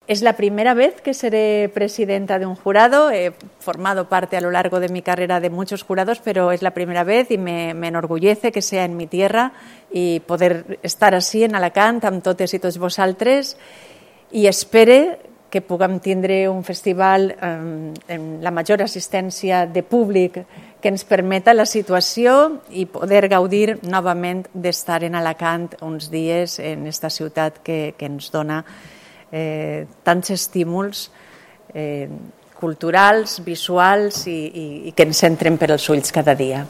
Es la primera vez que seré presidenta de un jurado. He formado parte a lo largo de mi carrera de muchos jurados, pero es la primera vez y me enorgullece que sea en mi tierra i poder estar així en Alacant amb totes i tots vosaltres, i espere que puguem tindre un festival amb la major assistència de públic que ens permeta la situació i poder gaudir novament d'estar en Alacant uns dies en esta ciutat que ens dona tants estímuls culturals, visuals i que ens entren per als ulls cada dia.